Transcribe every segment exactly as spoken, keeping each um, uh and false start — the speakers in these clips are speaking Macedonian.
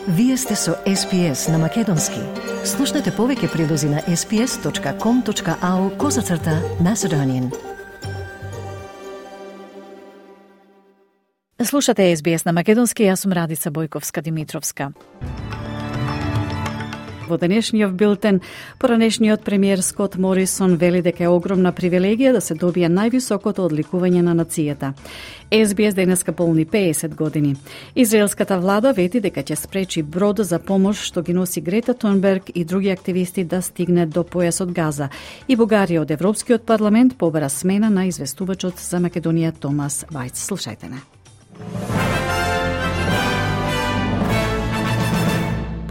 Вие сте со Ес Би Ес на Македонски. Слушнете повеќе прилози на ес би ес точка ком точка ау козацрта Macedonian. Слушате Ес Би Ес на Македонски, јас сум Радица Бојковска-Димитровска. Во денешниот билтен, поранешниот премиер Скот Морисон вели дека е огромна привилегија да се добие највисокото одликување на нацијата. Ес Би Ес денеска полни пеесет години. Израелската влада вети дека ќе спречи брод за помош што ги носи Грета Тунберг и други активисти да стигне до појасот Газа. И Бугарија од Европскиот парламент побара смена на известувачот за Македонија Томас Вајц. Слушајте не.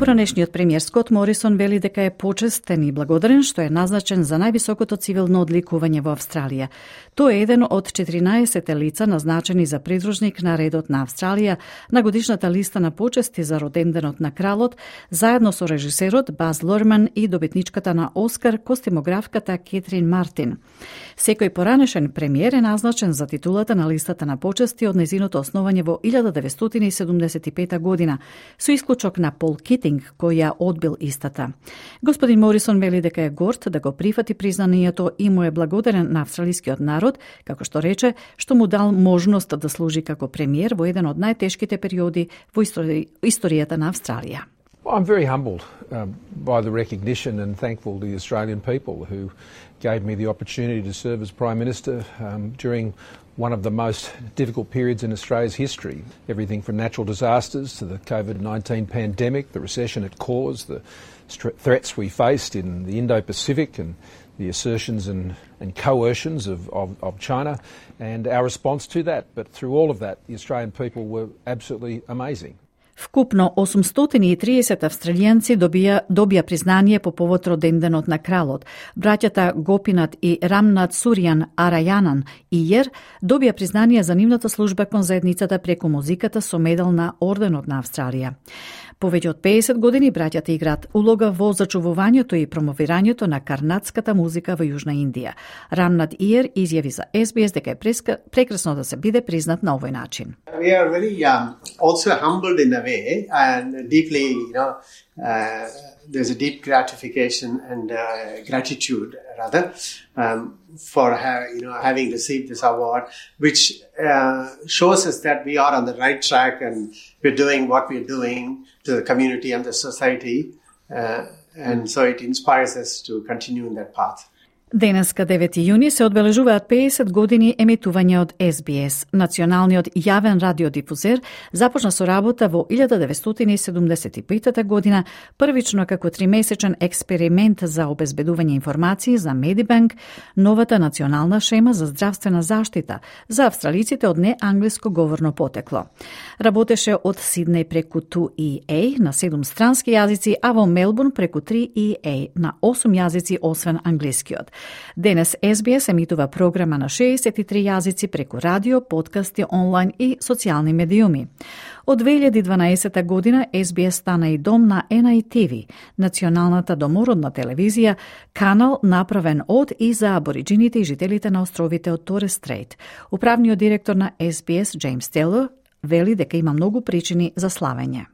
Поранешниот премиер Скот Морисон вели дека е почестен и благодарен што е назначен за највисокото цивилно одликување во Австралија. Тој е еден од четиринаесет лица назначени за придружник на редот на Австралија на годишната листа на почести за роденденот на кралот, заедно со режисерот Баз Лурман и добитничката на Оскар, костимографката Кетрин Мартин. Секој поранешен премиер е назначен за титулата на листата на почести од нејзиното основање во илјада деветстотини и седумдесет и пета година, со исклучок на Пол Китинг, кој ја одбил истата. Господин Морисон вели дека е горд да го прифати признанието и му е благодарен на австралискиот народ, како што рече, што му дал можност да служи како премиер во еден од најтешките периоди во истори... историјата на Австралија. I'm very humbled um, by the recognition and thankful to the Australian people who gave me the opportunity to serve as Prime Minister um, during one of the most difficult periods in Australia's history. Everything from natural disasters to the COVID nineteen pandemic, the recession it caused, the threats we faced in the Indo-Pacific and the assertions and, and coercions of, of, of China and our response to that. But through all of that, the Australian people were absolutely amazing. Вкупно осумстотини и триесет австралијанци добија, добија признание по повод роденденот на кралот. Браќата Гопинат и Рамнат Суријан Арајанан Иер добија признание за нивната служба кон заедницата преку музиката со медал на Орденот на Австралија. Повеќе од пеесет години браќата играат улога во зачувувањето и промовирањето на карнатската музика во Јужна Индија. Рамнат Иер изјави за Ес Би Ес дека е прекрасно да се биде признат на овој начин. We are very um, also humbled in a way and deeply, you know, uh, there's a deep gratification and uh, gratitude rather um, for ha- you know having received this award, which uh, shows us that we are on the right track and we're doing what we're doing to the community and the society, uh, and so it inspires us to continue in that path. Денеска девети јуни се одбележуваат пеесет години емитување од Ес Би Ес. Националниот јавен радиодифузер започна со работа во илјада деветстотини и седумдесет и пета година, првично како тримесечен експеримент за обезбедување информации за Медибанк, новата национална шема за здравствена заштита за австралиците од неанглиско говорно потекло. Работеше од Сиднеј преку Ту И Ей на седум странски јазици, а во Мелбурн преку Три И Ей на осум јазици освен англискиот. Денес Ес Би Ес емитува програма на шеесет и три јазици преку радио, подкасти, онлайн и социјални медиуми. Од две илјади и дванаесета година Ес Би Ес стана и дом на Ен Ај Ти Ви, националната домородна телевизија, канал направен од и за абориджините и жителите на островите од Торес Стрейт. Управниот директор на Ес Би Ес, Джеймс Тейлор, вели дека има многу причини за славење.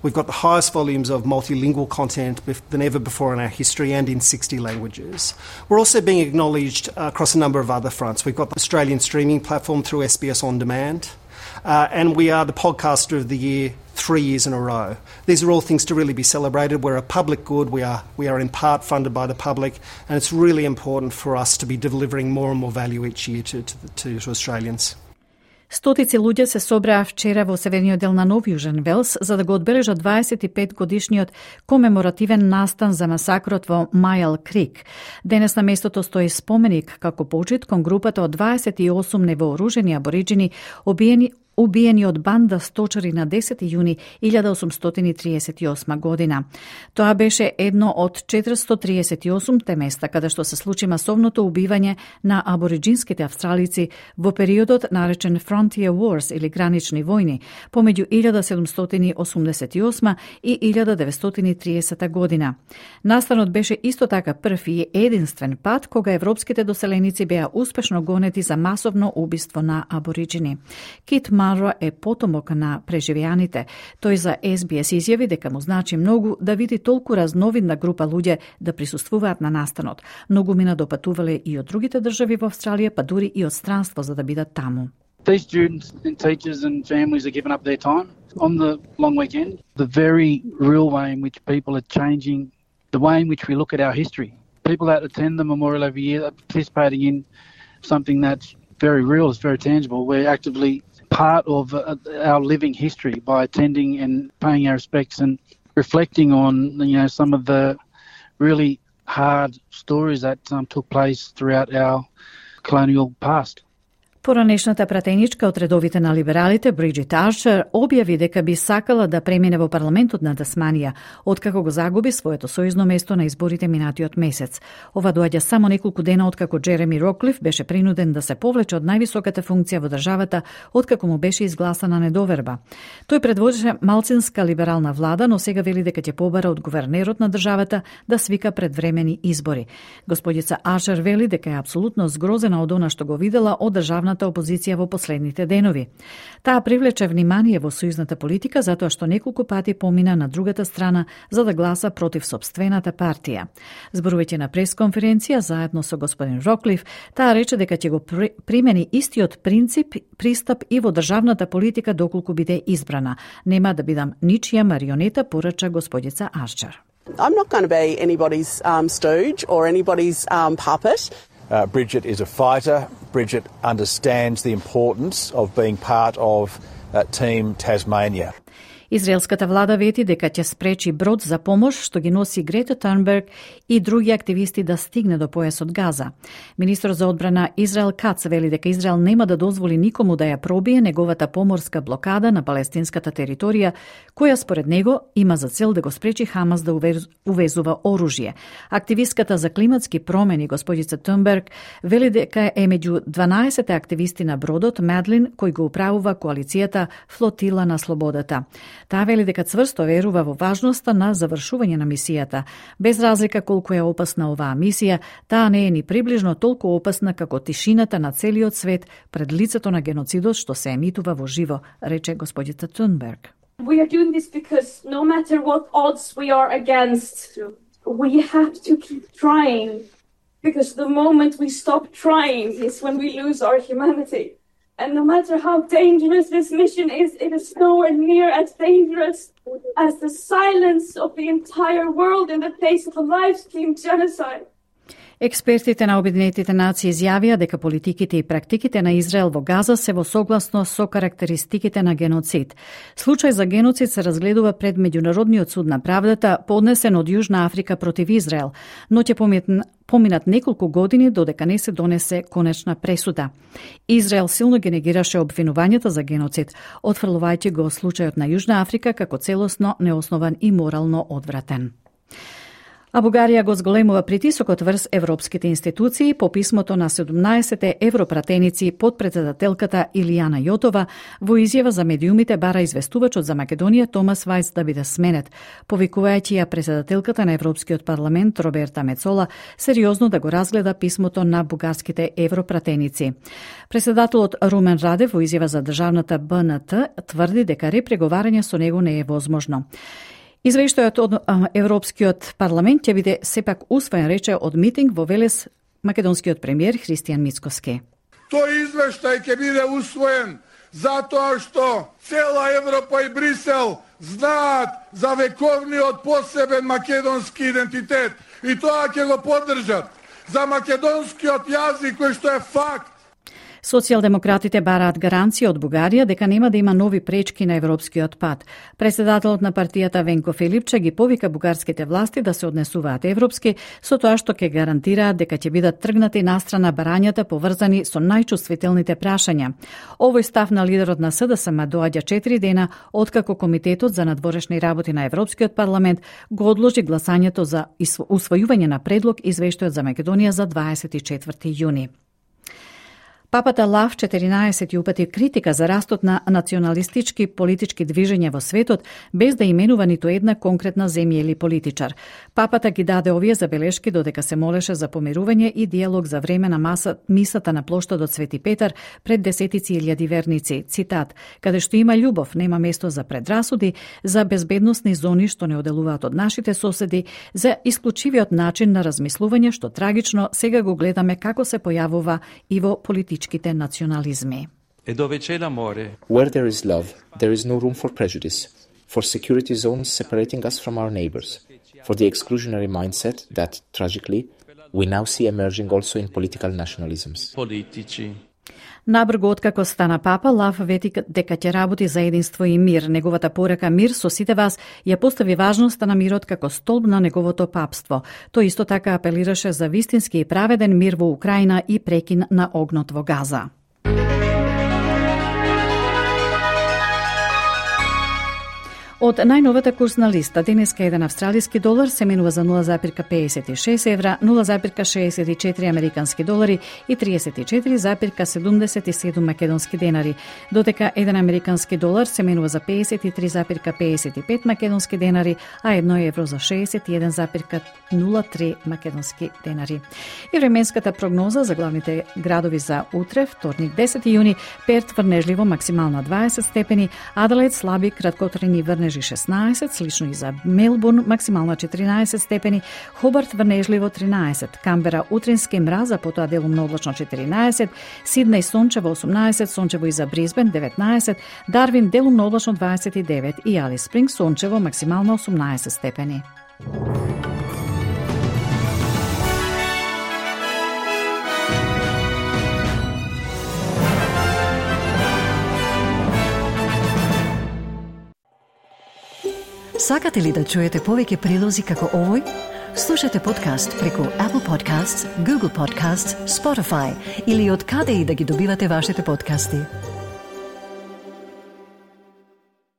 We've got the highest volumes of multilingual content than ever before in our history and in sixty languages. We're also being acknowledged across a number of other fronts. We've got the Australian streaming platform through Ес Би Ес On Demand, uh, and we are the podcaster of the year three years in a row. These are all things to really be celebrated. We're a public good. We are, we are in part funded by the public, and it's really important for us to be delivering more and more value each year to, to, to, to Australians. Стотици луѓе се собраа вчера во северниот дел на Нов Јужен Велс за да го одбележат дваесет и пет годишниот комеморативен настан за масакрот во Мајал Крик. Денес на местото стои споменик како почит кон групата од дваесет и осум невооружени абориджини обиени убиени од банда сточари на десети јуни илјада осумстотини триесет и осма година. Тоа беше едно од четиристотини триесет и осумте места каде што се случи масовното убивање на абориджинските австралици во периодот наречен Frontier Wars или гранични војни помеѓу илјада седумстотини осумдесет и осма и илјада деветстотини триесета година. Настанот беше исто така прв и единствен пат кога европските доселеници беа успешно гонети за масовно убиство на абориджини. Кит Манро е потомок на преживеаните. Тој за Ес Би Ес изјави дека му значи многу да види толку разновидна група луѓе да присуствуваат на настанот. Многу мина допатувале и од другите држави во Австралија, па дури и од странство за да бидат таму. These students and teachers and families are giving up their time on the long weekend. The very real way in which people are changing the way in which we look at our history. People that attend the memorial every year are participating in something that's very real, it's very tangible. We're actively part of uh, our living history by attending and paying our respects and reflecting on, you know, some of the really hard stories that um, took place throughout our colonial past. Поранешната пратеничка од редовите на либералите, Бриджит Арчер, објави дека би сакала да премине во парламентот на Тасманија, откако го загуби своето сојузно место на изборите минатиот месец. Ова доаѓа само неколку дена откако Джереми Роклиф беше принуден да се повлече од највисоката функција во државата, откако му беше изгласана недоверба. Тој предводеше малцинска либерална влада, но сега вели дека ќе побара од гувернерот на државата да свика предвремени избори. Господица Арчер вели дека е апсолутно згрозена од она што го видела од државната опозиција во последните денови. Таа привлече внимание во сојузната политика затоа што неколку пати помина на другата страна за да гласа против сопствената партија. Зборувајќи на пресконференција заедно со господин Роклиф, таа рече дека ќе го примени истиот принцип, пристап и во државната политика доколку биде избрана. Нема да бидам ничија марионета, порача господица Арчер. I'm not going to be anybody's um, stooge or anybody's um, puppet. Uh, Bridget is a fighter. Bridget understands the importance of being part of uh, Team Tasmania. Израелската влада вети дека ќе спречи брод за помош што ги носи Грета Тунберг и други активисти да стигне до појасот Газа. Министр за одбрана Израел Кац вели дека Израел нема да дозволи никому да ја пробие неговата поморска блокада на палестинската територија, која според него има за цел да го спречи Хамас да увезува оружје. Активистката за климатски промени господица Тунберг вели дека е меѓу дванаесет активисти на бродот Медлин кој го управува коалицијата Флотила на слободата. Таа вели дека цврсто верува во важноста на завршување на мисијата. Без разлика колку е опасна оваа мисија, таа не е ни приближно толку опасна како тишината на целиот свет пред лицето на геноцидот што се емитува во живо, рече господица Тунберг. We are doing this because no matter what odds we are against, we have to keep trying. Because the moment we stop trying is when we lose our humanity. And no matter how dangerous this mission is, it is nowhere near as dangerous as the silence of the entire world in the face of a live-streamed genocide. Експертите на Обединетите нации изјавија дека политиките и практиките на Израел во Газа се во согласно со карактеристиките на геноцид. Случај за геноцид се разгледува пред Меѓународниот суд на правдата, поднесен од Јужна Африка против Израел, но ќе поминат неколку години додека не се донесе конечна пресуда. Израел силно ги негираше обвинувањата за геноцид, отфрлувајќи го случајот на Јужна Африка како целосно неоснован и морално одвратен. А Бугарија го зголемува притисокот врз европските институции по писмото на седумнаесет европратеници под председателката Илијана Јотова во изјава за медиумите бара известувачот за Македонија Томас Вајц да биде сменет, повикувајќи ја председателката на Европскиот парламент Роберта Мецола сериозно да го разгледа писмото на бугарските европратеници. Председателот Румен Радев во изјава за државната Б Н Т тврди дека репреговарање со него не е возможно. Извештајот од Европскиот парламент ќе биде сепак усвоен, рече од митинг во Велес македонскиот премиер Христијан Мицкоски. Тој извештај ќе биде усвоен затоа што цела Европа и Брисел знаат за вековниот посебен македонски идентитет и тоа ќе го поддржат. За македонскиот јазик кој што е факт. Социјалдемократите бараат гаранција од Бугарија дека нема да има нови пречки на европскиот пат. Председателот на партијата Венко Филипче ги повика бугарските власти да се однесуваат европски, со тоа што ќе гарантираат дека ќе бидат тргнати настрана барањата поврзани со најчувствителните прашања. Овој став на лидерот на С Д С М доаѓа четири дена откако Комитетот за надворешни работи на Европскиот парламент го одложи гласањето за усвојување на предлог извештајот за Македонија за дваесет и четврти јуни. Папата Лав четиринаесет упати критика за растот на националистички политички движења во светот, без да именува ниту една конкретна земја или политичар. Папата ги даде овие забелешки додека се молеше за помирување и диалог за време на маса, мисата на плоштадот Свети Петар пред десетици илјади верници. Цитат: "Каде што има љубов, нема место за предрасуди, за безбедносни зони што не оделуваат од нашите соседи, за исклучивиот начин на размислување што трагично сега го гледаме како се појавува и во политичките национализми." Where there is love, there is no room for prejudice, for security zones separating us from our neighbors, for the exclusionary mindset that, tragically, we now see emerging also in political nationalisms. Набрго откако стана папа, Лав вети дека ќе работи за единство и мир. Неговата порака "Мир со сите вас" ја постави важноста на мирот како столб на неговото папство. Тој исто така апелираше за вистински и праведен мир во Украина и прекин на огнот во Газа. Од најновата курсна листа, денеска еден австралиски долар се менува за нула запирка педесет и шест евра, нула запирка шеесет и четири американски долари и триесет и четири запирка седумдесет и седум македонски денари, додека еден американски долар се менува за педесет и три запирка педесет и пет македонски денари, а едно евро за шеесет и еден запирка нула три македонски денари. И временската прогноза за главните градови за утре, вторник десети јуни: Перт врнежливо максимална дваесет степени, Аделаид слаби краткотрени врнежи шеснаесет, слично и за Мелбурн максимална четиринаесет степени, Хобарт врнежливо тринаесет, Камбера утрински мраз, а потоа делумно облачно четиринаесет, Сиднеј сончево осумнаесет, сончево и за Бризбен деветнаесет, Дарвин делумно облачно дваесет и девет и Алис Спринг сончево максимално осумнаесет степени. Сакате ли да чуете повеќе прилози како овој? Слушате подкаст преку Apple Podcasts, Google Podcasts, Spotify или од каде и да ги добивате вашите подкасти.